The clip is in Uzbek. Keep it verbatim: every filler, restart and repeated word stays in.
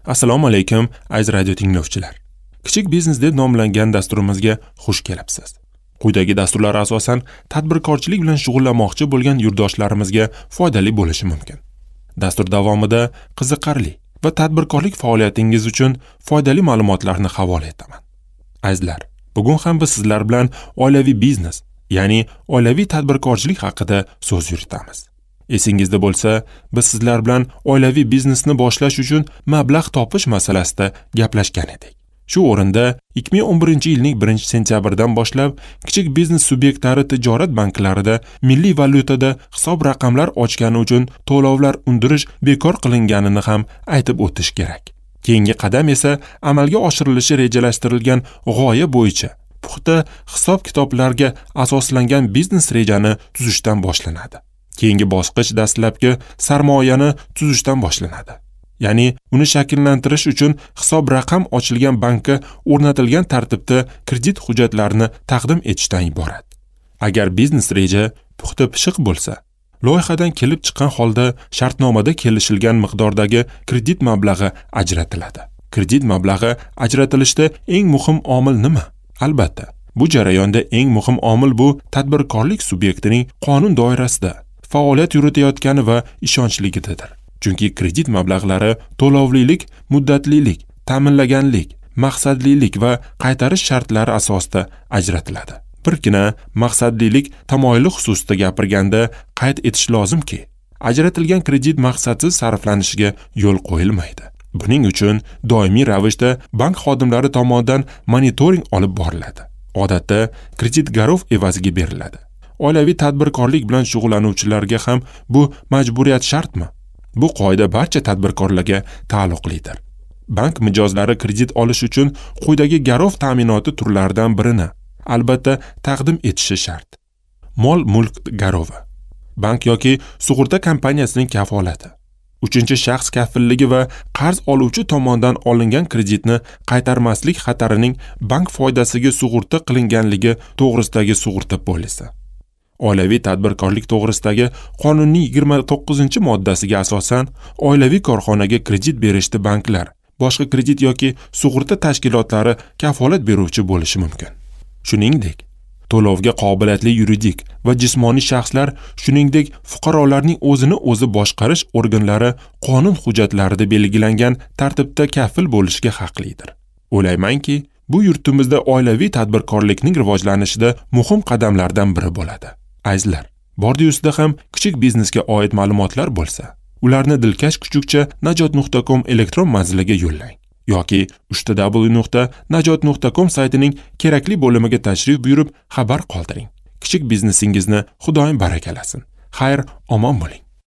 Assalomu alaykum, aziz radio tinglovchilar. Kichik biznes deb nomlangan dasturimizga xush kelibsiz. Quyidagi dasturlar asosan tadbirkorchilik bilan shug'ullanmoqchi bo'lgan yurtdoshlarimizga foydali bo'lishi mumkin. Dastur davomida qiziqarli va tadbirkorlik faoliyatingiz uchun foydali ma'lumotlarni havola etaman. Azizlar, bugun ham biz sizlar bilan oilaviy biznes, ya'ni oilaviy tadbirkorchilik haqida so'z yuritamiz. Esingizda bo'lsa, biz sizlar bilan oilaviy biznesni boshlash uchun mablag' topish masalasida gaplashgan edik. Shu o'rinda ikki ming o'n birinchi yilning birinchi sentyabridan boshlab kichik biznes subyektlari tijorat banklarida milliy valyutada hisob raqamlar ochgani uchun to'lovlar undirish bekor qilinganini ham aytib o'tish kerak. Keyingi qadam esa amalga oshirilishi rejalashtirilgan g'oya bo'yicha puxta hisob-kitoblarga asoslangan biznes rejani tuzishdan boshlanadi. Keyingi bosqich dastlabki sarmoyani tuzishdan boshlanadi. Ya'ni uni shakllantirish uchun hisob raqam ochilgan bankka o'rnatilgan tartibda kredit hujjatlarini taqdim etishdan iborat. Agar biznes reja puxta pishiq bo'lsa, loyihadan kelib chiqqan holda shartnomada kelishilgan miqdordagi kredit mablag'i ajratiladi. Kredit mablag'i ajratilishda eng muhim omil nima? Albatta, bu jarayonda eng muhim omil bu tadbirkorlik subyektining qonun doirasida faoliyat yuritayotgani va ishonchligidadir. Chunki kredit mablag'lari to'lovlilik, muddatlilik, ta'minlaganlik, maqsadlilik va qaytarish shartlari asosida ajratiladi. Birgina maqsadlilik tamoyili xususida gapirganda qayd etish lozimki, ajratilgan kredit maqsadsiz sarflanishiga yo'l qo'yilmaydi. Buning uchun doimiy ravishda bank xodimlari tomonidan monitoring olib boriladi. Odatda kredit garov evaziga beriladi. Oilaviy tadbirkorlik bilan shug'ullanuvchilarga ham bu majburiyat shartmi? Bu qoida barcha tadbirkorlarga taalluqlidir. Bank mijozlari kredit olish uchun quyidagi garov ta'minoti turlaridan birini albatta taqdim etishi shart. Mol-mulk garovi, bank yoki sug'urta kompaniyasining kafolati, uchinchi shaxs kafilligi va qarz oluvchi tomonidan olingan kreditni qaytarmaslik xatarining bank foydasiga sug'urta qilinganligi to'g'risidagi sug'urta polisi. Oilaviy tadbirkorlik to'g'risidagi qonunning yigirma to'qqizinchi moddasiga asosan oilaviy korxonaga kredit berishda banklar, boshqa kredit yoki sug'urta tashkilotlari kafolat beruvchi bo'lishi mumkin. Shuningdek, to'lovga qobiliyatli yuridik va jismoniy shaxslar, shuningdek, fuqarolarning o'zini o'zi boshqarish organlari qonun hujjatlarida belgilangan tartibda kafil bo'lishga haqlidir. O'ylaymanki, bu yurtimizda oilaviy tadbirkorlikning rivojlanishida muhim qadamlardan biri bo'ladi. Azizlar, bordi-ustida ham kichik biznesga oid ma'lumotlar bo'lsa, ularni dilkash kuchukcha najot nuqta com elektron manziliga yo'llang yoki uchta w nuqta najot nuqta com saytining kerakli bo'limiga tashrif buyurib xabar qoldiring. Kichik biznesingizni Xudoyim barakalasin. Xayr, omon bo'ling.